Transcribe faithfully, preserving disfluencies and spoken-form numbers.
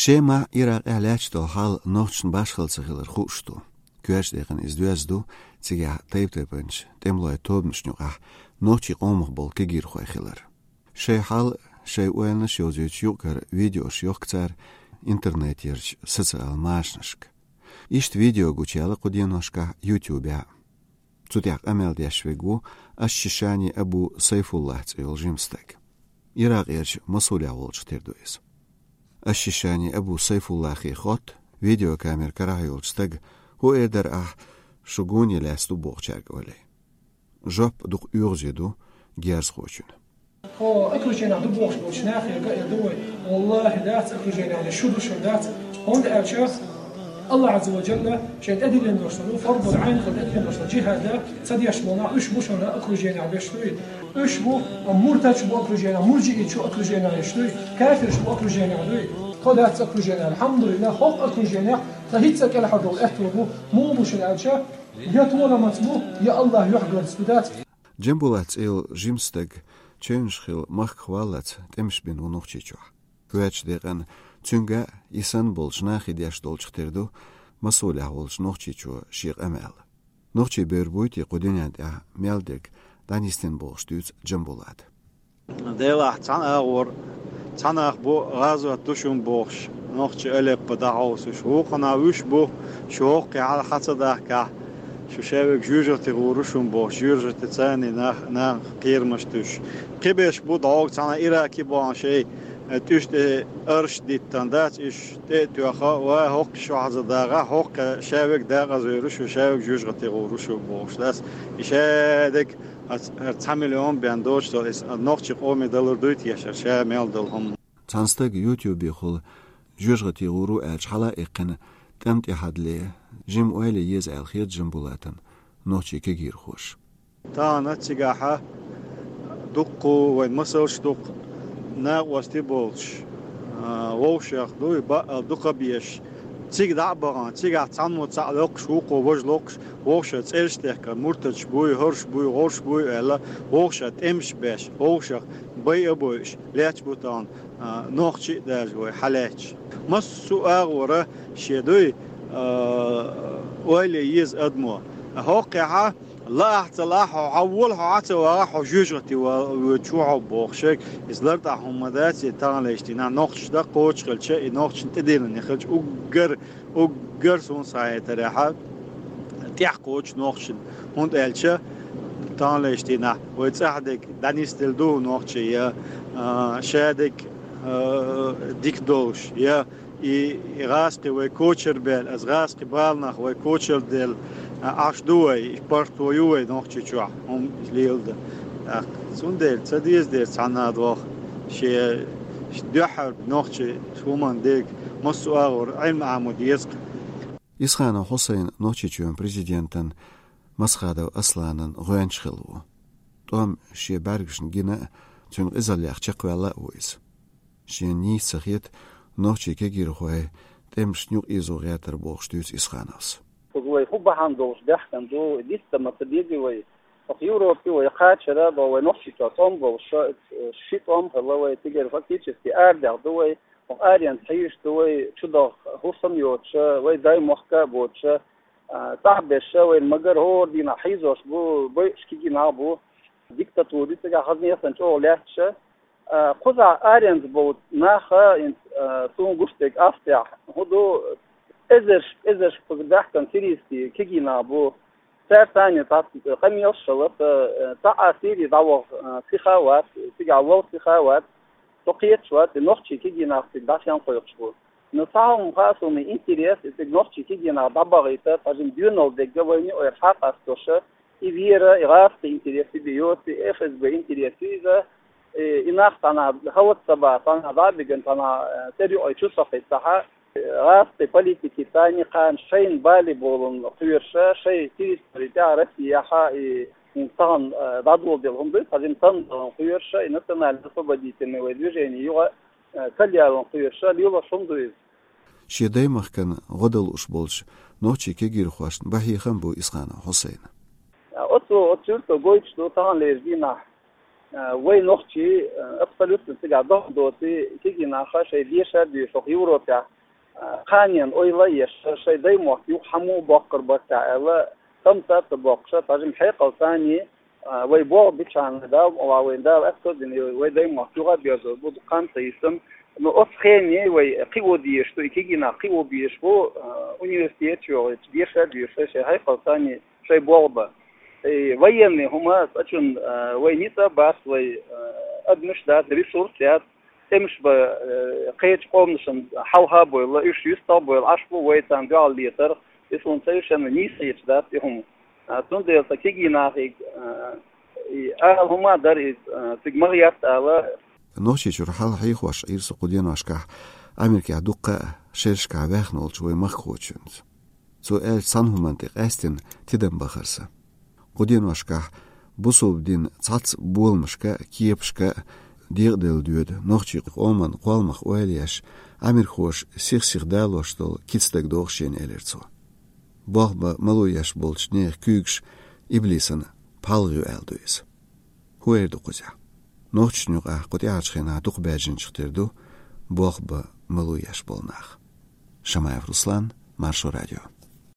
Шемахь, Иракъехь лаьтташ долу хьал нохчашна башхалла ца хилар хууш ду. Коьртачу декъана иза доьзна ду, цигахь тайп-тайпанчу тӀемалойн тобанашна юкъахь нохчийн къомах болу кегийрхой хилар. Шайн хьал, шайн ойланаш йовзуьйтуш юкъара видеош йохку цара интернетерчу социал машанашка. Иштта видео гучуяьлла кху деношкахь YouTube-ехь. Цу тӀехь къамел деш верг ву Аш-Шишани Абу Сайфуллахь цӀе йолу жима стаг. Иракъерчу Масулехь волчух тера ду иза. Аш-Шишани Абу Сайфуллахе хотту видеокамера карахь йолчу стага: «ХӀун эр дара ахь, шу гонах лаьцна ду бохучаьрга?» — олий. Жоп дукха оьгӀазе ду герзахочун. Хьо окруженехь ду бохуш болчу нахе га а ду вай. Валлахи, дац окруженехь, шу ду, шу дац. ХӀунда аьлча Аллах Азза ва Джалла шайн тӀедиллина долуш долу фарзул Ӏайн хила тӀедиллина долуш долу джихӀад ца деш болу нах, уьш бу шуна окруженехь беш дуй. Уьш бу, муртадаш бу окруженехь, мурджииташ бу окруженехь еш дуй, кафираш бу окруженехь дуй. Тхо дац окруженехь, алхьамдулиллах, хӀокху окруженехь тхан хӀинцца кӀелхьардолу аьтто бу, муха бу шуна аьлча, я толамаца бу, я Аллах юьхьгарца ду, дац. Джамбулат цӀе йолу жима стаг чевнаш хилла махках валлалц тӀемаш бина ву Нохчийчохь. Коьртачу декъана цуьнга а, и санна болчу нахе деш долчух тера ду Масулехь волчу нохчичо шен къамел. Нохчий бер буй те кху дуьнен тӀехь мел дерг дӀанисдина бохуш дуьйцу Джамбулата. Делахь цхьана агӀор, цхьа нах бу, гӀазот ду шуна бохуш, нохчий Алеппо дӀахьовсуш. Вукхунах уьш бу, шу хӀокху хьал хьа ца дахкахь, шу шаверг жоьжахати гӀур ву шуна бохуш, жоьжахати царний нах, нах кхерамаш туьйсуш. Кхиберш бу дӀогӀу цхьана Ираке бахана шайн, э, тӀуьш тӀе арш диттан дац, уьш тӀе а тоьхна, ва хӀокху шу хьаза дагӀа, хӀокху шаверг дакъазавер ву шу, шаверг жоьжахати гӀур ву шу бохуш дац. И шадерг Ас хӀара цхьа миллион бен доцуш долу иза нохчийн къоме далур дуй те, шара ша мел долу хӀума? Цхьана стага YouTube-ехула жоьжахати гӀур ву аьлча хьала а эккхина, тӀам тӀе хьадле, жима ойла е еза аьлла хета Джамбулатан нохчийн кегийрхоша. Тахана цигахьа дуккха вайн масалш дуккха накъостий болчу, а, вовшех дуй, баъал дукха беш, цига дӀа а бахана, цигахь цхьаммо цхьаъ локхуш, вукхо важа локхуш, вовшех цӀераш а техкар, муртадаш буй, хӀорш буй, гӀорш буй аьлла, вовшех тӀемаш а беш, вовшех байа а бойуш, лаьтташ бу тахана, а, нохчий а даже вай хьалаьтташ. Массо а агӀора шен дуй, а, ойла е еза адамо. ХӀокхехьа, лаахь а ца лаахь, хьо хьан вола, хьо хьан ца вагӀахь, хьо жоьжахати воьдуш ву хьо бохуш ерг, иза лартӀахь хӀума ма дац, и таханлерчу дийнахь нохчаш даккхочух хилча, и нохчашна тӀедиллина хилча, уггар, уггар суна схьахетарехьа, тӀехь кхочу нохчашна. ХӀунда аьлча, таханлерчу дийнахь вай цӀахь дерг дӀанисделла ду нохчий, я, а, шадерг, а, дика долуш, я, И, и гӀазкхи вай кочар баьлла, аса гӀазкхи баланах вай кочар делла, а, Ӏаш ду вай, и паргӀато ю вай Нохчийчохь, хӀума леладан. ТӀаккха цундела ца деза деза цхьанна а доху, шен дуьххьара нохчийн хӀуманна дерг массо а агӀор Ӏилма Ӏамо деза-кх. Исханов Хьусайн Нохчийчоьнан президентан Масхадов Асланан гӀоьнча хилла ву. ТӀом шен бӀаьргашна гина а, цуьнан къизаллех чекхваьлла а ву иза. Шена нийса ца хета нохчийн кегийрхой тӀемашна юкъаэзо гӀертар бохуш дуьйцу Исхановс. Кхуза вай хӀун бахьана долуш баьхкина ду, дицдан ма ца дезий вай? Оха Европе вай кхачара а боху, вай Нохчийчохь тӀом болуш, ши тӀом хилла вай, цигара фактически арадаьхна ду вай, оха аренца хьийзаш ду вай, чу даха хӀусам йоцуша, вай даймохка а боцуша, а, цӀахь берша, вайна магар хӀора дийнахь хьийзош бу, байуш кегий нах бу, диктатура ю цигахь, хазна санна чӀогӀа лаьтташа. А, кхузахь аренца болу нах, хӀинца, а, суна гуш дерг Австрехь хӀун ду, эзарш, эзарш кхуза баьхкина сирийский кегий нах бу. Цаьрца цхьаьна цхьацца къамелаш а хилла, ца, цхьа а Сири дӀаваха, а, сиха а вац, цигахь вала сиха а вац, со кхеташ вац, и нохчийн кегий нах цига дӀасаенна кхойкхуш бу. Но цхьа хӀума хаьа суна интерес, и цига нохчийн кегий нах дӀабахийта, цхьа жима доьналла дерг а вайна ойра хьакъасталуша, и вера, и гӀазкхийн интерес и бен йоцу, и Ф С Б интерес ю иза, и, и нах цхьанхьа хӀаллак ца баха, цхьанхьа дӀа а бигина, цхьанхьа, э, цӀера юкъе чу сохийтахьа, э, гӀазкхийн политикица а кхана шайна бале болун кхоьруша, шайн территори тӀехь Россияхьа и хӀинца тахана, э, дӀадоладелла хӀума дуй, цхьа жима санна далун кхоьруша, и национально-освободительный вай движение юкъа, э, кхалъялун кхоьруша, лелош хӀума ду иза. Шен даймахкана гӀо дан лууш болчу нохчийн кегийрхошна бан хьехам бу Исханов Хьусайна. Оцу, оцу юьрто гойтуш ду таханлерчу дийнахь. А, вай нохчий, а, абсолютно цигахь догӀа доций, кегий наха шайн дешар а дешаш Европехь, а, кханенан ойла а еш, шайн даймохк юха хьан муха боккхур бара техьа аьлла, тӀамца а ца боккхуш, тхьажим хьекъал санна, а, вай болх бичхьана, Дала мукъ лахь, вайна Дала аьтто а дина, вай даймохк юха а доьзна бу, кхана ца йисина. Ну, оцу хене вай кхио дезаш ду, и кегий нах кхио безаш бу, а, университет чу йогӀуш, дешар а дешаш, шайн хьекъал санна, шайн болх бан. И военный хӀума цкъачунна, а, вай ницкъ а бац, вай, а, адамаш дац, ресурс яц, тӀемаш бан, а, кхечу къоманашна хьалха а бевлла, уьш юьстах а бевлла, Ӏаш бу вай царна дуьхьал летарх, и суна совершенно нийса хеташ дац и хӀума. А, цундела сан кегий нахе, а, и ала хӀума а дара иза, а, цига ма гӀерта ала. Нохчийчуьра хьал хьехош Ӏийра со кху деношкахь Америкехь дуккха а шерашкахь ваьхна волчу вай махкахочуьнца. Цо аьллачу цхьана хӀуманна тӀе къаьстина тидам бахара сан. Кху деношкахь бусалба дин цхьацца боламашка а, кепашка а декъаделла доьду нохчийн къоман кхолламах ойла еш, Ӏамирхоша сих-сиха далош долу кица дага догӀу шена, элира цо. Болх бан мало еш болчу нехан куьйгаш иблисан пхьалгӀа ю аьлла ду иза. ХӀун эр ду кхузахь? Нохчашна юкъахь кху тӀаьхьарчу хенахь дукха баьржинчух тера ду болх бан мало еш болу нах. Шамаев Руслан, Маршо радио.